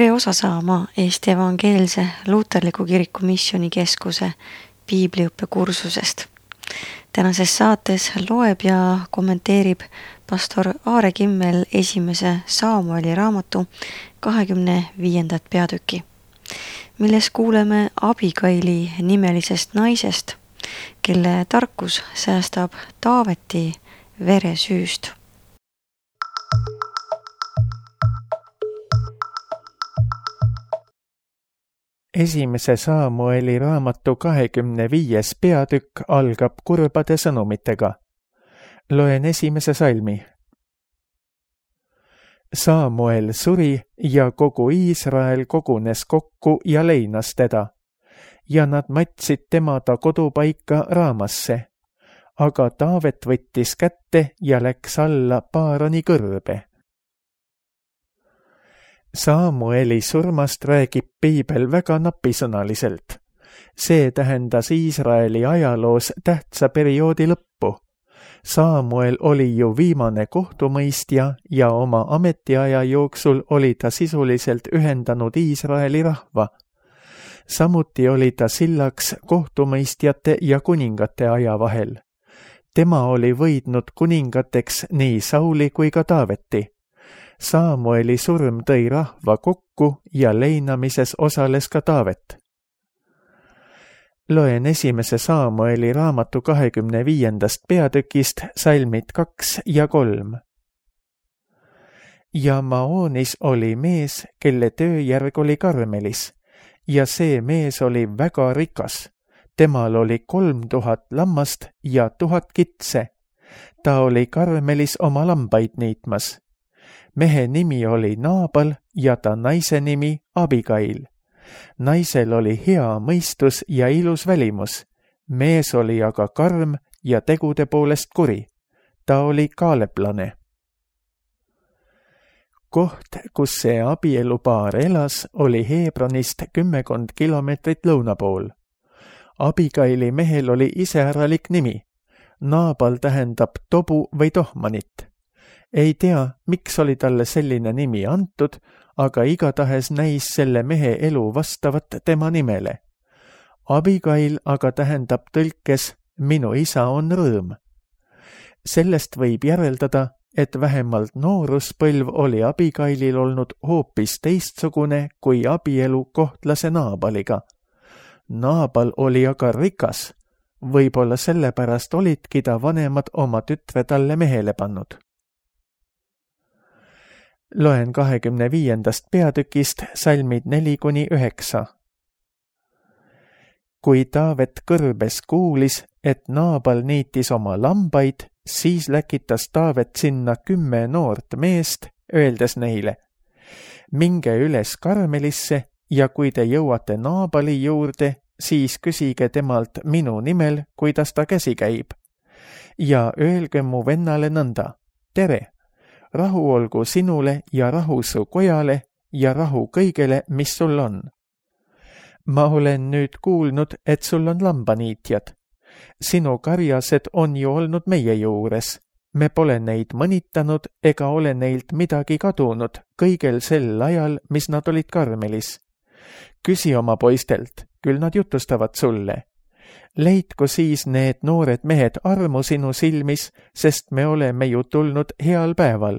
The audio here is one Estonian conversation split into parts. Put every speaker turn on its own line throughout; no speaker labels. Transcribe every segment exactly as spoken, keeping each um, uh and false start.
tere osa saama Eesti Evangeelse Luuterliku Kiriku Missioonikeskuse piibliõppe kursusest. Tänases saates loeb ja kommenteerib pastor Aare Kimmel esimese Saamueli raamatu kahekümne viiendat peatüki, milles kuuleme Abigaili nimelisest naisest, kelle tarkus säästab Taaveti veresüüst.
Esimese Saamueli raamatu kahekümne viies peatükk algab kurbade sõnumitega. Loen esimese salmi. Saamuel suri ja kogu Iisrael kogunes kokku ja leinas teda, ja nad matsid tema ta kodupaika Raamasse, aga Taavet võttis kätte ja läks alla Paarani kõrbe. Saamueli surmast räägib piibel väga napisõnaliselt. See tähendas Iisraeli ajaloos tähtsa perioodi lõppu. Saamuel oli ju viimane kohtumõistja ja oma ametiaja jooksul oli ta sisuliselt ühendanud Iisraeli rahva. Samuti oli ta sillaks kohtumõistjate ja kuningate aja vahel. Tema oli võidnud kuningateks nii Sauli kui ka Taaveti. Saamueli surm tõi rahva kokku ja leinamises osales ka Taavet. Loen esimese Saamueli raamatu kahekümne viiendast peatükist salmid kaks ja kolm. Ja Maoonis oli mees, kelle tööjärg oli Karmelis, ja see mees oli väga rikas. Temal oli kolm tuhat lammast ja tuhat kitse. Ta oli Karmelis oma lambaid niitmas. Mehe nimi oli Naabal ja ta naise nimi Abigail. Naisel oli hea mõistus ja ilus välimus. Mees oli aga karm ja tegude poolest kuri. Ta oli kaaleplane. Koht, kus see abielupaar elas, oli Hebronist kümmekond kilomeetrit lõuna pool. Abigaili mehel oli iseäralik nimi. Naabal tähendab tobu või tohmanit. Ei tea, miks oli talle selline nimi antud, aga igatahes näis selle mehe elu vastavat tema nimele. Abigail aga tähendab tõlkes minu isa on rõõm. Sellest võib järeldada, et vähemalt nooruspõlv oli Abigailil olnud hoopis teistsugune kui abielu kohtlase Naabaliga. Naabal oli aga rikas, võib-olla sellepärast olidki ta vanemad oma tütre talle mehele pannud. Loen kahekümne viiendast peatükist salmid neli kuni üheksa. Kui Taavet kõrbes kuulis, et Naabal niitis oma lambaid, siis läkitas Taavet sinna kümme noort meest, öeldes neile, minge üles Karmelisse ja kui te jõuate Naabali juurde, siis küsige temalt minu nimel, kuidas ta käsi käib. Ja öelge mu vennale nõnda, tere! Rahu olgu sinule ja rahu su kojale ja rahu kõigele, mis sul on. Ma olen nüüd kuulnud, et sul on lambaniitjad. Sinu karjased on ju olnud meie juures. Me pole neid mõnitanud ega ole neilt midagi kadunud kõigel sel ajal, mis nad olid Karmelis. Küsi oma poistelt, küll nad jutustavad sulle. Leidku siis need noored mehed armu sinu silmis, sest me oleme ju tulnud heal päeval.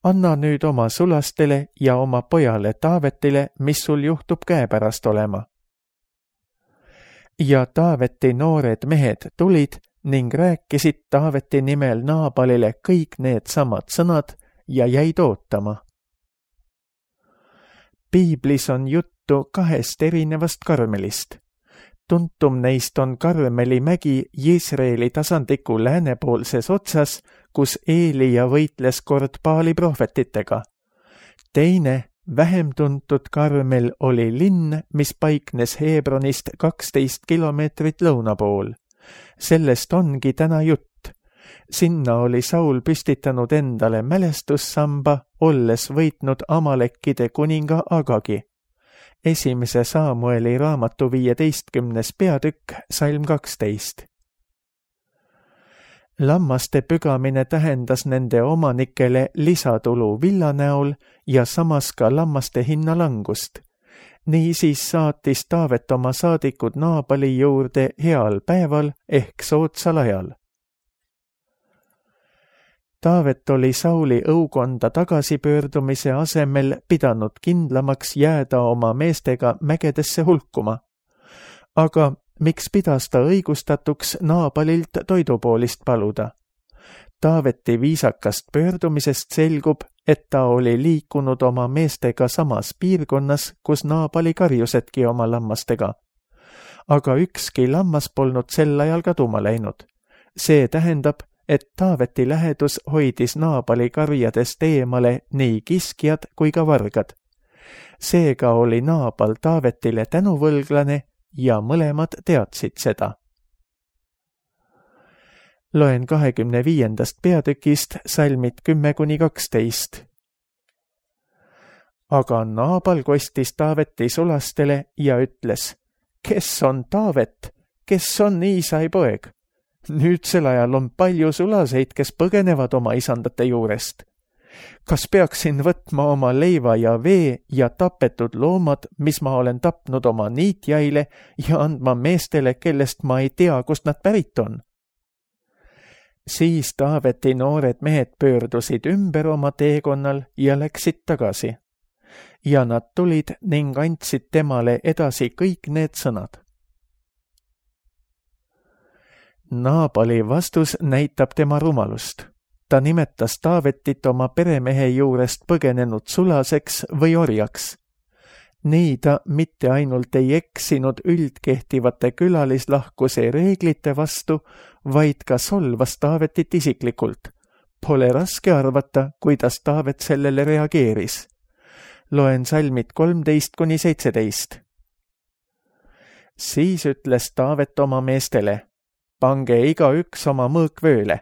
Anna nüüd oma sulastele ja oma pojale Taavetile, mis sul juhtub käepärast olema. Ja Taaveti noored mehed tulid ning rääkisid Taaveti nimel Naabalile kõik need samad sõnad ja jäid ootama. Piiblis on juttu kahest erinevast Karmelist. Tuntum neist on Karmeli mägi Jisraeli tasandiku läänepoolses otsas, kus Eelia võitles kord Baali prohvetitega. Teine, vähem tuntud Karmel oli linn, mis paiknes Hebronist kaksteist kilomeetrit lõuna pool. Sellest ongi täna jutt. Sinna oli Saul püstitanud endale mälestussamba, olles võitnud Amalekkide kuninga Agagi. Esimese Saamueli raamatu viieteistkümnes peatükk, salm kaksteist. lammaste pügamine tähendas nende omanikele lisatulu villa näol ja samas ka lammaste hinna langust. Niisiis saatis Taavet oma saadikud Naabali juurde heal päeval ehk soodsal ajal. Taavet oli Sauli õukonda tagasipöördumise asemel pidanud kindlamaks jääda oma meestega mägedesse hulkuma. Aga miks pidas ta õigustatuks Naabalilt toidupoolist paluda? Taaveti viisakast pöördumisest selgub, et ta oli liikunud oma meestega samas piirkonnas, kus Naabali karjusedki oma lammastega. Aga ükski lammas polnud sel ajal kaduma läinud. See tähendab, et Taaveti lähedus hoidis Naabali karjadest eemale nii kiskjad kui ka vargad. Seega oli Naabal Taavetile tänuvõlglane ja mõlemad teadsid seda. Loen kahekümne viiendast peatükist salmid kümme kuni kaksteist. Aga Naabal kostis Taaveti sulastele ja ütles, kes on Taavet, kes on Iisai poeg? Nüüdsel ajal on palju sulaseid, kes põgenevad oma isandate juurest. Kas peaksin võtma oma leiva ja vee ja tapetud loomad, mis ma olen tapnud oma niitjaile ja andma meestele, kellest ma ei tea, kust nad pärit on? Siis Taaveti noored mehed pöördusid ümber oma teekonnal ja läksid tagasi. Ja nad tulid ning andsid temale edasi kõik need sõnad. Naabali vastus näitab tema rumalust. Ta nimetas Taavetit oma peremehe juurest põgenenud sulaseks või orjaks. Nii ta mitte ainult ei eksinud üldkehtivate külalislahkuse reeglite vastu, vaid ka solvas Taavetit isiklikult. Pole raske arvata, kuidas Taavet sellele reageeris. Loen salmid kolmteist kuni seitseteist. Siis ütles Taavet oma meestele, pange igaüks oma mõõk vööle.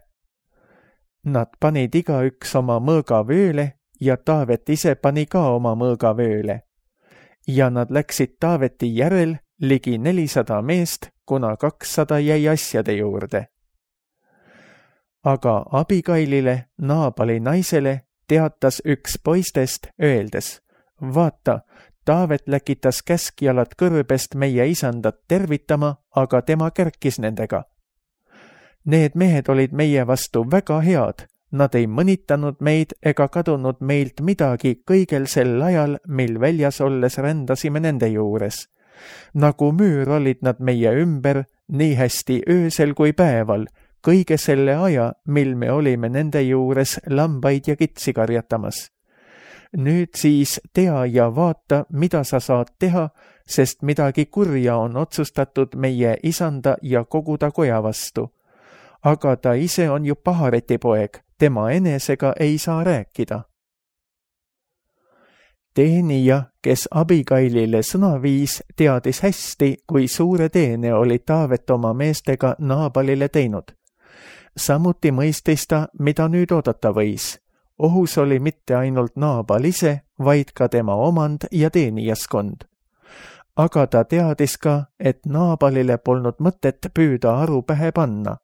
Nad panid igaüks oma mõõga vööle ja Taavet ise pani ka oma mõõga vööle. Ja nad läksid Taaveti järel ligi nelisada meest, kuna kakssada jäi asjade juurde. Aga Abigailile, Naabali naisele, teatas üks poistest, öeldes, vaata, Taavet läkitas käskjalad kõrbest meie isandat tervitama, aga tema kärkis nendega. Need mehed olid meie vastu väga head, nad ei mõnitanud meid ega kadunud meilt midagi kõigel sel ajal, mil väljas olles rändasime nende juures. Nagu müür olid nad meie ümber, nii hästi öösel kui päeval, kõige selle aja, mil me olime nende juures lambaid ja kitsi karjatamas. Nüüd siis tea ja vaata, mida sa saad teha, sest midagi kurja on otsustatud meie isanda ja kogu ta koja vastu. Aga ta ise on ju Pahareti poeg, tema enesega ei saa rääkida. Teenija, kes Abigailile sõna viis, teadis hästi, kui suure teene oli Taavet oma meestega Naabalile teinud. Samuti mõistis ta, mida nüüd oodata võis. Ohus oli mitte ainult Naabal ise, vaid ka tema omand ja teenijaskond. Aga ta teadis ka, et Naabalile polnud mõtet püüda aru pähe panna.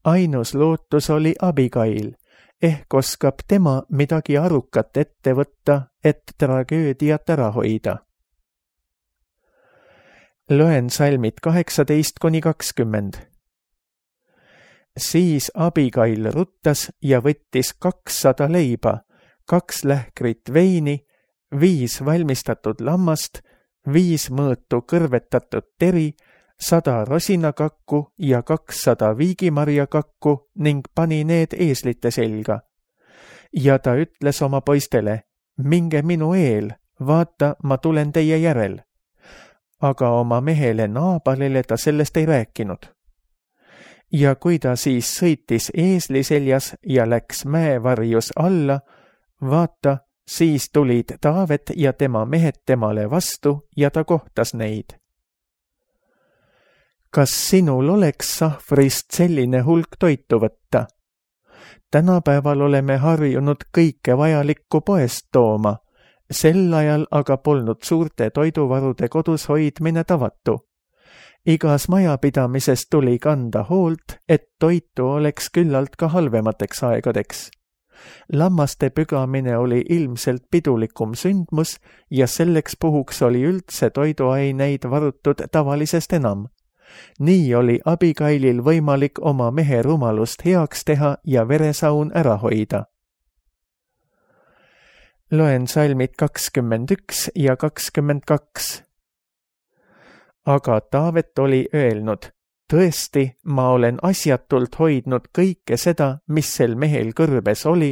Ainus lootus oli Abigail, ehk oskab tema midagi arukat ette võtta, et tragöödiat ära hoida. Loen salmid kaheksateist kuni kakskümmend. Siis Abigail ruttas ja võttis kakssada leiba, kaks lähkrit veini, viis valmistatud lammast, viis mõõtu kõrvetatud teri, sada rosinakakku ja kakssada viigimarjakakku ning pani need eeslite selga. Ja ta ütles oma poistele, minge minu eel, vaata, ma tulen teie järel. Aga oma mehele Naabalile ta sellest ei rääkinud. Ja kui ta siis sõitis eesli seljas ja läks mäevarjus alla, vaata, siis tulid Taavet ja tema mehed temale vastu ja ta kohtas neid. Kas sinul oleks sahvrist selline hulk toitu võtta? Tänapäeval oleme harjunud kõike vajalikku poest tooma, sel ajal aga polnud suurte toiduvarude kodus hoidmine tavatu. igas majapidamises tuli kanda hoolt, et toitu oleks küllalt ka halvemateks aegadeks. Lammaste pügamine oli ilmselt pidulikum sündmus ja selleks puhuks oli üldse toiduaineid varutud tavalisest enam. Nii oli Abigailil võimalik oma mehe rumalust heaks teha ja veresaun ära hoida. Loen salmid kakskümmend üks ja kakskümmend kaks. Aga Taavet oli öelnud, tõesti, ma olen asjatult hoidnud kõike seda, mis sel mehel kõrbes oli,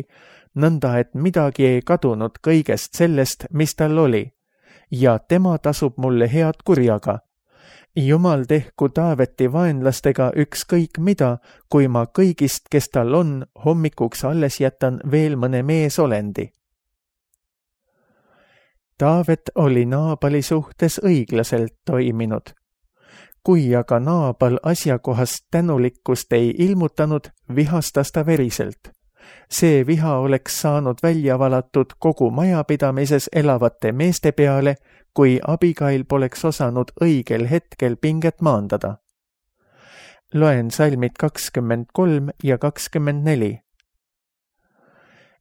nõnda et midagi ei kadunud kõigest sellest, mis tal oli, ja tema tasub mulle head kurjaga. Jumal tehku Taaveti vaenlastega ükskõik mida, kui ma kõigist, kes tal on, hommikuks alles jätan veel mõne meesolendi. Taavet oli Naabali suhtes õiglaselt toiminud. Kui aga Naabal asjakohast tänulikkust ei ilmutanud, vihastas ta veriselt. See viha oleks saanud välja valatud kogu majapidamises elavate meeste peale, kui Abigail poleks osanud õigel hetkel pinget maandada. Loen salmid kakskümmend kolm ja kakskümmend neli.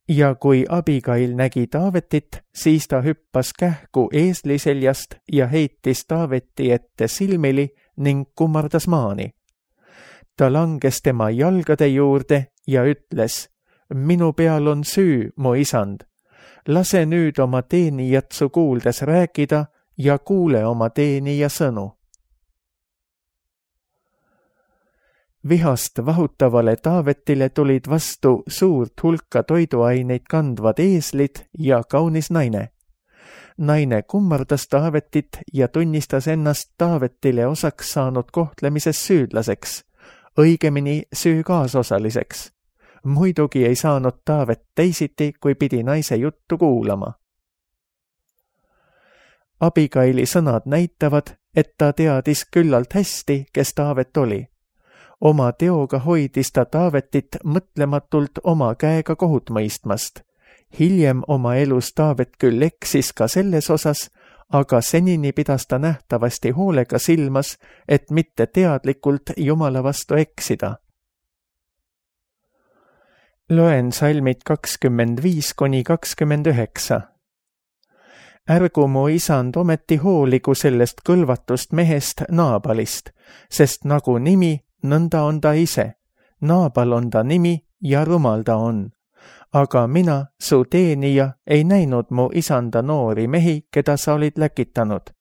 Ja kui Abigail nägi Taavetit, siis ta hüppas kähku eesli seljast ja heitis Taaveti ette silmili ning kummardas maani. Ta langes tema jalgade juurde ja ütles, minu peal on süü, mu isand. Lase nüüd oma teenijat su kuuldes rääkida ja kuule oma teenija sõnu. Vihast vahutavale Taavetile tulid vastu suurt hulka toiduaineid kandvad eeslid ja kaunis naine. Naine kummardas Taavetit ja tunnistas ennast Taavetile osaks saanud kohtlemises süüdlaseks, õigemini süü kaasosaliseks. Muidugi ei saanud Taavet teisiti, kui pidi naise juttu kuulama. Abigaili sõnad näitavad, et ta teadis küllalt hästi, kes Taavet oli. Oma teoga hoidis ta Taavetit mõtlematult oma käega kohut mõistmast. Hiljem oma elus Taavet küll eksis ka selles osas, aga senini pidas ta nähtavasti hoolega silmas, et mitte teadlikult Jumala vastu eksida. Loen salmid kakskümmend viis kuni kakskümmend üheksa. Ärgu mu isand ometi hooligu sellest kõlvatust mehest Naabalist, sest nagu nimi, nõnda on ta ise. Naabal on ta nimi ja rumal ta on. Aga mina, su teenija, ei näinud mu isanda noori mehi, keda sa olid läkitanud.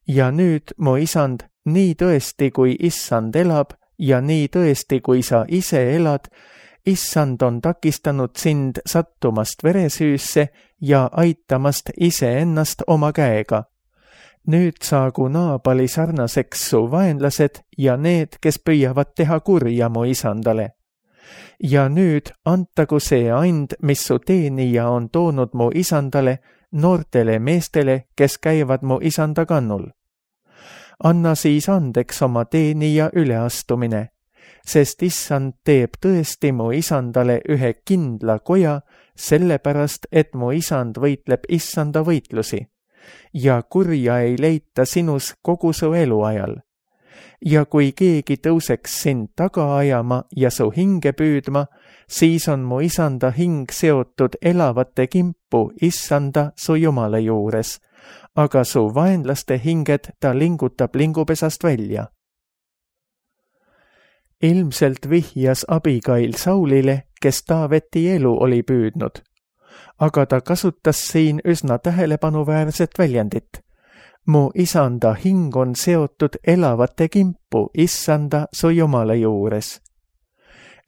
Ja nüüd, mu isand, nii tõesti, kui issand elab ja nii tõesti, kui sa ise elad, issand on takistanud sind sattumast veresüüsse ja aitamast iseennast oma käega. Nüüd saagu Naabali sarnaseks su vaenlased ja need, kes püüavad teha kurja mu isandale. Ja nüüd antagu see and, mis su teenija on toonud mu isandale, noortele meestele, kes käivad mu isanda kannul. Anna siis andeks oma teenija üleastumine, sest issand teeb tõesti mu isandale ühe kindla koja, sellepärast, et mu isand võitleb issanda võitlusi. Ja kurja ei leita sinus kogu su eluajal. Ja kui keegi tõuseks sind taga ajama ja su hinge püüdma, siis on mu isanda hing seotud elavate kimpu issanda su Jumala juures, aga su vaenlaste hinged ta lingutab lingupesast välja. Ilmselt vihjas Abigail Saulile, kes Taaveti elu oli püüdnud. Aga ta kasutas siin üsna tähelepanuväärset väljendit. Mu isanda hing on seotud elavate kimpu issanda su Jumala juures.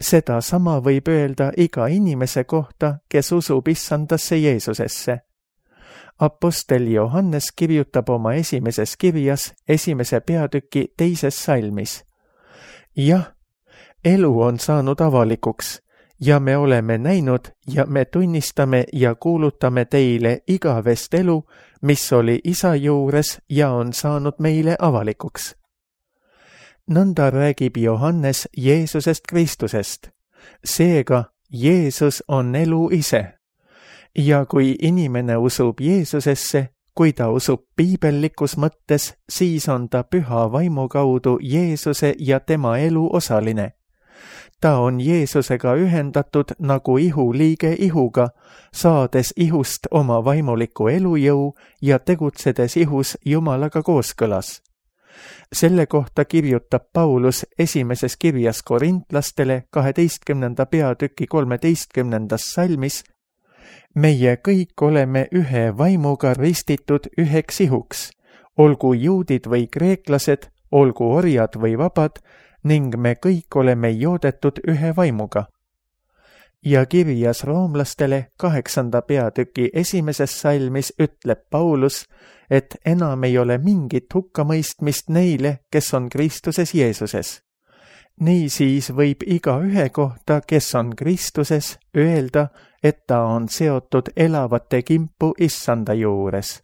Seda sama võib öelda iga inimese kohta, kes usub issandasse Jeesusesse. Apostel Johannes kirjutab oma esimeses kirjas esimese peatüki teises salmis. Jah, elu on saanud avalikuks. Ja me oleme näinud ja me tunnistame ja kuulutame teile igavest elu, mis oli isa juures ja on saanud meile avalikuks. Nõnda räägib Johannes Jeesusest Kristusest. Seega Jeesus on elu ise. Ja kui inimene usub Jeesusesse, kui ta usub piibellikus mõttes, siis on ta püha vaimu kaudu Jeesuse ja tema elu osaline. Ta on Jeesusega ühendatud nagu ihuliige ihuga, saades ihust oma vaimuliku elujõu ja tegutsedes ihus Jumalaga kooskõlas. Selle kohta kirjutab Paulus esimeses kirjas korintlastele kaheteistkümnenda peatüki kolmeteistkümnendas salmis: meie kõik oleme ühe vaimuga ristitud üheks ihuks, olgu juudid või kreeklased, olgu orjad või vabad, ning me kõik oleme joodetud ühe vaimuga. Ja kirjas roomlastele kaheksanda peatüki esimeses salmis ütleb Paulus, et enam ei ole mingit hukkamõistmist neile, kes on Kristuses Jeesuses. Niisiis võib iga ühe kohta, kes on Kristuses, öelda, et ta on seotud elavate kimpu issanda juures.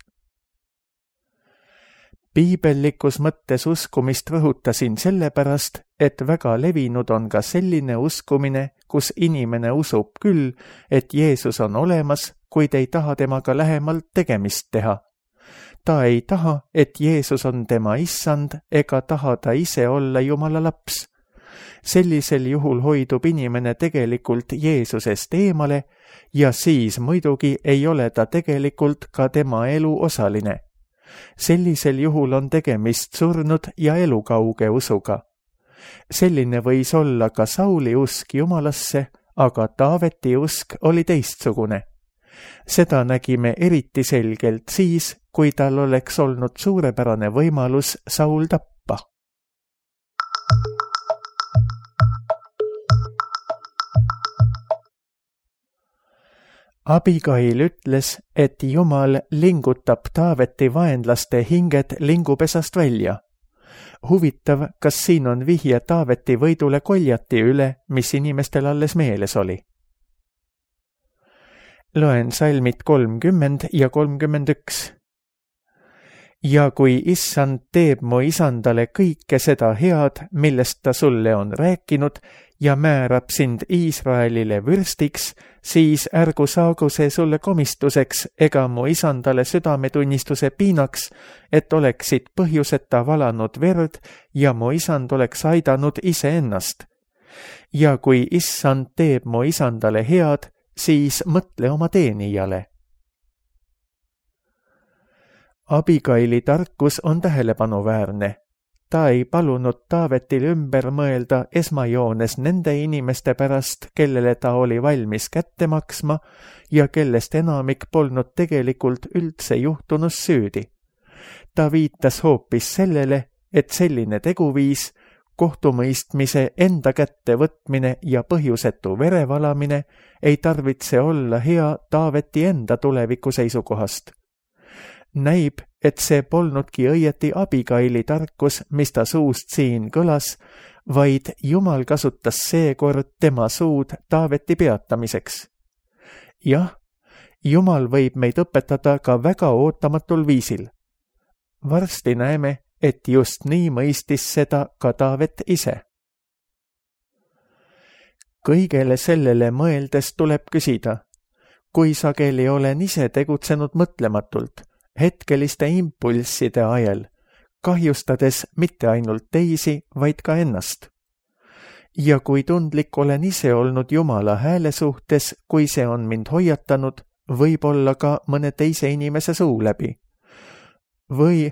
Piibellikus mõttes uskumist rõhutasin sellepärast, et väga levinud on ka selline uskumine, kus inimene usub küll, et Jeesus on olemas, kuid ei taha temaga lähemalt tegemist teha. Ta ei taha, et Jeesus on tema issand, ega taha ta ise olla Jumala laps. Sellisel juhul hoidub inimene tegelikult Jeesusest eemale ja siis muidugi ei ole ta tegelikult ka tema elu osaline. Sellisel juhul on tegemist surnud ja elukauge usuga. Selline võis olla ka Sauli usk Jumalasse, aga Taaveti usk oli teistsugune. Seda nägime eriti selgelt siis, kui tal oleks olnud suurepärane võimalus Saul tappa. Abigail ütles, et Jumal lingutab Taaveti vaenlaste hinged lingupesast välja. Huvitav, kas siin on vihje Taaveti võidule Koljati üle, mis inimestel alles meeles oli. Loen salmid kolmkümmend ja kolmkümmend üks. Ja kui issand teeb mu isandale kõike seda head, millest ta sulle on rääkinud, ja määrab sind Iisraelile vürstiks, siis ärgu saagu see sulle komistuseks ega mu isandale südametunnistuse piinaks, et oleksid põhjuseta valanud verd ja mu isand oleks aidanud iseennast. Ja kui issand teeb mu isandale head, siis mõtle oma teenijale. Abigaili tarkus on tähelepanuväärne. Ta ei palunud Taavetil ümber mõelda esmajoones nende inimeste pärast, kellele ta oli valmis kätte maksma ja kellest enamik polnud tegelikult üldse juhtunus süüdi. Ta viitas hoopis sellele, et selline teguviis, kohtumõistmise enda kätte võtmine ja põhjusetu verevalamine ei tarvitse olla hea Taaveti enda tuleviku seisukohast. Näib, et see polnudki õieti Abigaili tarkus, mis ta suust siin kõlas, vaid Jumal kasutas seekord tema suud Taaveti peatamiseks. Jah, Jumal võib meid õpetada ka väga ootamatul viisil. Varsti näeme, et just nii mõistis seda ka Taavet ise. Kõigele sellele mõeldes tuleb küsida, kui sageli olen ise tegutsenud mõtlematult, hetkeliste impulsside ajel, kahjustades mitte ainult teisi, vaid ka ennast. Ja kui tundlik olen ise olnud Jumala hääle suhtes, kui see on mind hoiatanud, võib-olla ka mõne teise inimese suu läbi. Või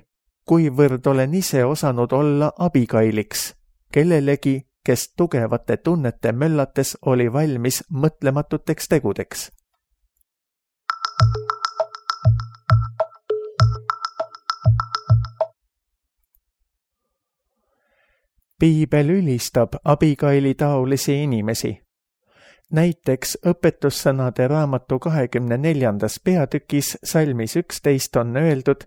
kuivõrd olen ise osanud olla Abigailiks, kellelegi, kes tugevate tunnete möllates oli valmis mõtlematuteks tegudeks. Piibel ülistab Abigaili taolisi inimesi. Näiteks õpetussõnade raamatu kahekümne neljandas peatükis salmis üksteist on öeldud: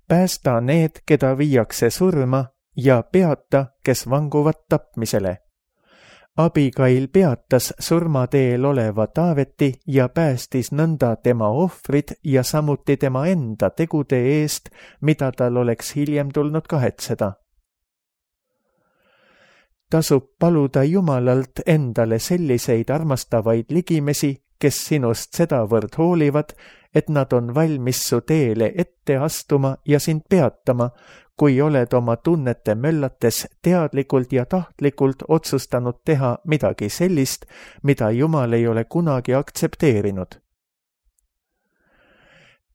päästa need, keda viiakse surma, ja peata, kes vanguvad tapmisele. Abigail peatas surmateel oleva Taaveti ja päästis nõnda tema ohvrid ja samuti tema enda tegude eest, mida tal oleks hiljem tulnud kahetseda. Tasub paluda Jumalalt endale selliseid armastavaid ligimesi, kes sinust sedavõrd hoolivad, et nad on valmis su teele ette astuma ja sind peatama, kui oled oma tunnete möllates teadlikult ja tahtlikult otsustanud teha midagi sellist, mida Jumal ei ole kunagi aktsepteerinud.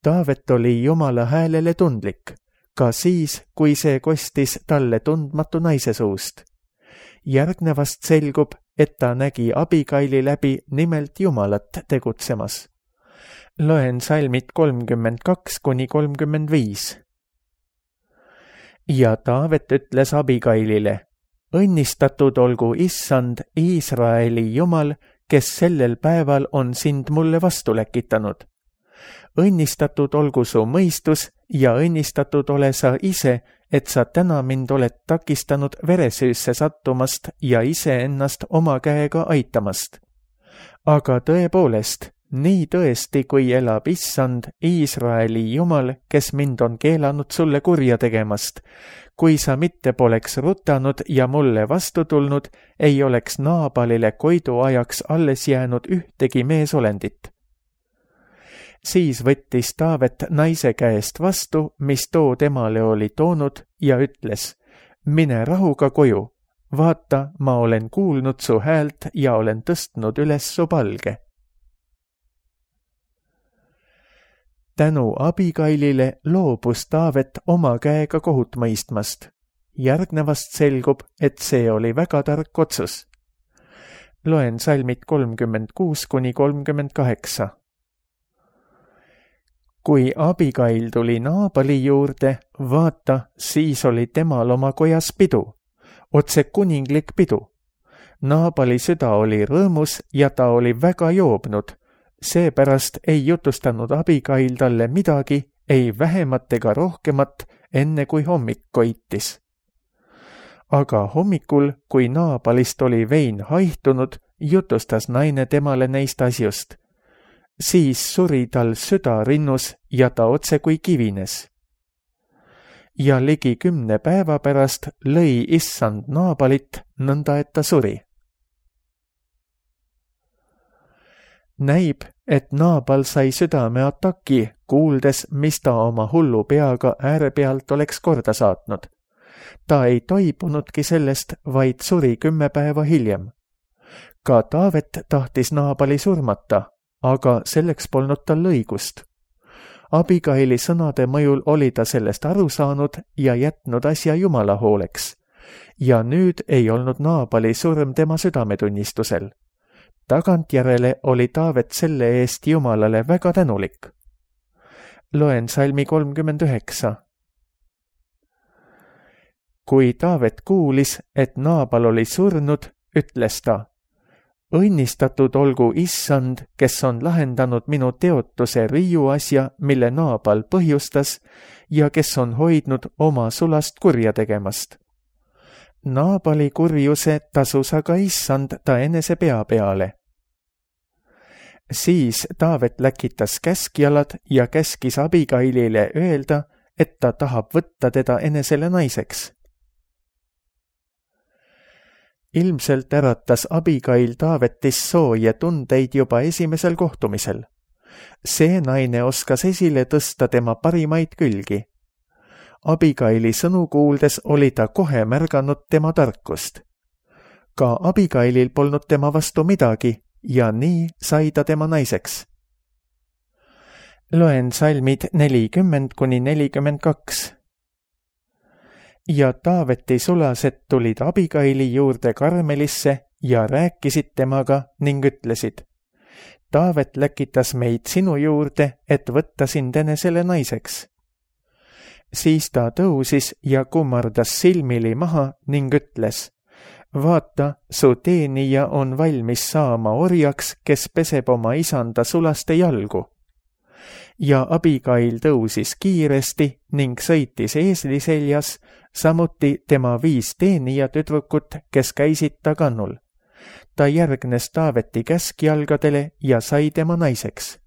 Taavet oli Jumala häälele tundlik, ka siis, kui see kostis talle tundmatu naise suust. Järgnevast selgub, et ta nägi Abigaili läbi nimelt Jumalat tegutsemas. Loen salmid kolmkümmend kaks kuni kolmkümmend viis. Ja Taavet ütles Abigailile, õnnistatud olgu Issand, Iisraeli Jumal, kes sellel päeval on sind mulle vastu läkitanud. Õnnistatud olgu su mõistus ja õnnistatud ole sa ise, et sa täna mind oled takistanud veresüüsse sattumast ja iseennast oma käega aitamast. Aga tõepoolest, nii tõesti, kui elab Issand, Iisraeli Jumal, kes mind on keelanud sulle kurja tegemast, kui sa mitte poleks rutanud ja mulle vastu tulnud, ei oleks Naabalile koidu ajaks alles jäänud ühtegi meesolendit. Siis võttis Taavet naise käest vastu, mis too temale oli toonud, ja ütles, mine rahuga koju, vaata, ma olen kuulnud su häält ja olen tõstnud üles su palge. Tänu Abigailile loobus Taavet oma käega kohut mõistmast. Järgnevast selgub, et see oli väga tark otsus. Loen salmid kolmkümmend kuus kuni kolmkümmend kaheksa. Kui Abigail tuli Naabali juurde, vaata, siis oli temal oma kojas pidu, otse kuninglik pidu. Naabali süda oli rõõmus ja ta oli väga joobnud, seepärast ei jutustanud Abigail talle midagi, ei vähemat ega rohkemat, enne kui hommik koitis. Aga hommikul, kui Naabalist oli vein haihtunud, jutustas naine temale neist asjust. Siis suri tal süda rinnus ja ta otse kui kivines. Ja ligi kümne päeva pärast lõi Issand Naabalit, nõnda et ta suri. Näib, et Naabal sai südameataki, kuuldes, mis ta oma hullu peaga äärepealt oleks korda saatnud. Ta ei toibunudki sellest, vaid suri kümme päeva hiljem. Ka Taavet tahtis Naabali surmata, aga selleks polnud tal õigust. Abigaili sõnade mõjul oli ta sellest aru saanud ja jätnud asja Jumala hooleks. Ja nüüd ei olnud Naabali surm tema südametunnistusel. Tagantjärele oli Taavet selle eest Jumalale väga tänulik. Loen salmi kolmkümmend üheksa. Kui Taavet kuulis, et Naabal oli surnud, ütles ta, õnnistatud olgu Issand, kes on lahendanud minu teotuse riiu asja, mille Naabal põhjustas ja kes on hoidnud oma sulast kurja tegemast. Naabali kurjuse tasus aga Issand ta enese pea peale. Siis Taavet läkitas käskjalad ja käskis Abigailile öelda, et ta tahab võtta teda enesele naiseks. Ilmselt äratas Abigail Taavetis sooje tundeid juba esimesel kohtumisel. See naine oskas esile tõsta tema parimaid külgi. Abigaili sõnu kuuldes oli ta kohe märganud tema tarkust. Ka Abigailil polnud tema vastu midagi ja nii sai ta tema naiseks. Loen salmid nelikümmend kuni nelikümmend kaks. Ja Taaveti sulased tulid Abigaili juurde Karmelisse ja rääkisid temaga ning ütlesid, Taavet läkitas meid sinu juurde, et võtta sind enesele naiseks. Siis ta tõusis ja kummardas silmili maha ning ütles, vaata, su teenija on valmis saama orjaks, kes peseb oma isanda sulaste jalgu. Ja Abigail tõusis kiiresti ning sõitis eesli seljas, samuti tema viis teenija tüdrukut, kes käisid ta kannul. Ta järgnes Taaveti käskjalgadele ja sai tema naiseks.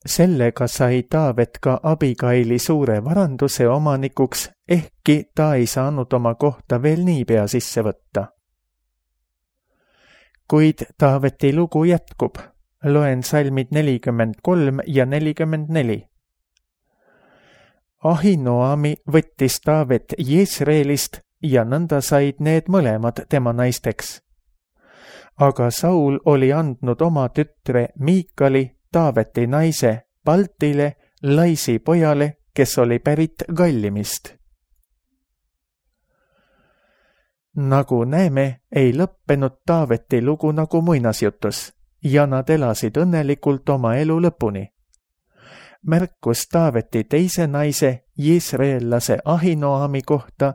Sellega sai Taavet ka Abigaili suure varanduse omanikuks, ehkki ta ei saanud oma kohta veel niipea sisse võtta. Kuid Taaveti lugu jätkub. loen salmid nelikümmend kolm ja nelikümmend neli. Ahinoami võttis Taavet Jesreelist ja nõnda said need mõlemad tema naisteks. Aga Saul oli andnud oma tütre Miikali, Taaveti naise, Paltile, Laisi pojale, kes oli pärit Gallimist. Nagu näeme, ei lõppenud Taaveti lugu nagu muinasjutus ja nad elasid õnnelikult oma elu lõpuni. Märkus Taaveti teise naise, Jesreellase Ahinoami kohta,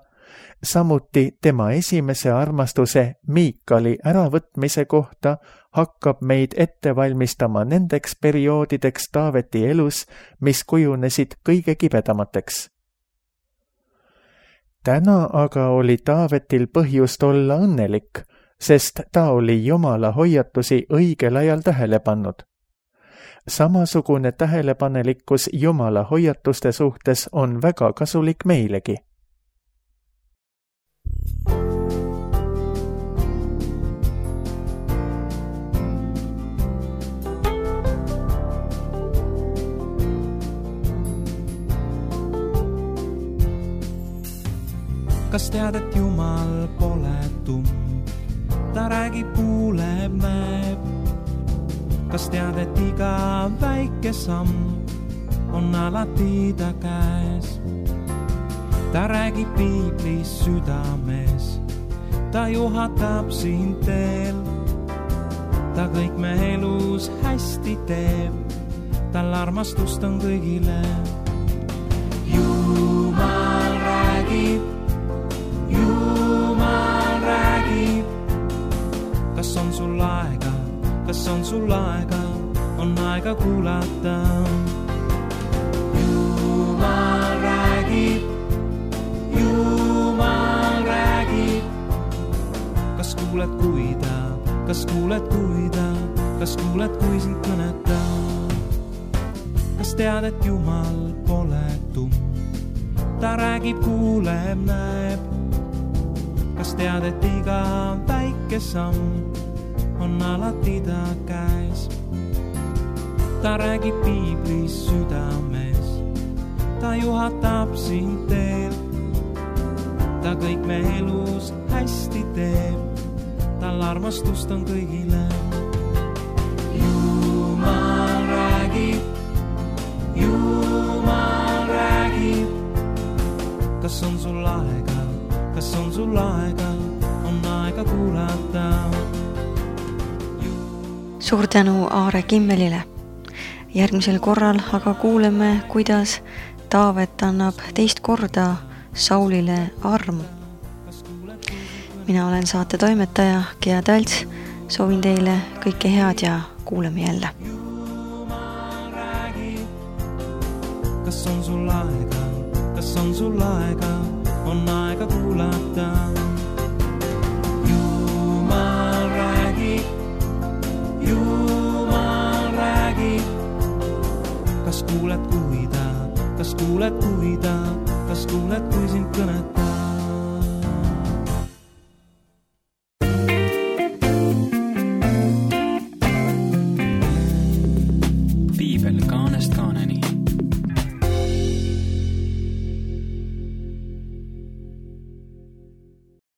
samuti tema esimese armastuse Miikali äravõtmise kohta hakkab meid ette valmistama nendeks perioodideks Taaveti elus, mis kujunesid kõige kibedamateks. Täna aga oli Taavetil põhjust olla õnnelik, sest ta oli Jumala hoiatusi õigel ajal tähele pannud. Samasugune tähelepanelikkus Jumala hoiatuste suhtes on väga kasulik meilegi.
Kas tead, et Jumal pole tumm, ta räägib, kuuleb, näeb. Kas tead, et iga väike samm on alati ta käes. Ta räägib piiblis südames, ta juhatab sind teel. Ta kõik me elus hästi teeb, tal armastust on kõigile. Jumal räägib, Jumal räägib. Kas on sul aega, kas on sul aega, on aega kuulata. Jumal räägib, Jumal räägib. Kas kuuled, kui ta, kas kuuled, kui ta, kas kuuled, kui sind kõneta. Kas tead, et Jumal pole tumm, ta räägib, kuuleb, näeb. Kas tead, et iga väike samm on alati ta käes. Ta räägib piiblis südames, ta juhatab sind teel. Ta kõik me elus hästi teeb, tal armastust on kõigile. Jumal räägib, Jumal räägib. Kas on sul aega, kas on sul aega, on aega kuulata.
Suur tänu Aare Kimmelile. Järgmisel korral aga kuuleme, kuidas Taavet annab teist korda Saulile armu. Mina olen saate toimetaja Gea Talts. Soovin teile kõike head ja kuuleme jälle. Kas on sul aega, kas on sul aega, on aega kuulata. Jumal räägib, Jumal räägib. Kas kuuled, kui ta, kas kuuled, kui ta, kas kuuled, kui sind kõneta.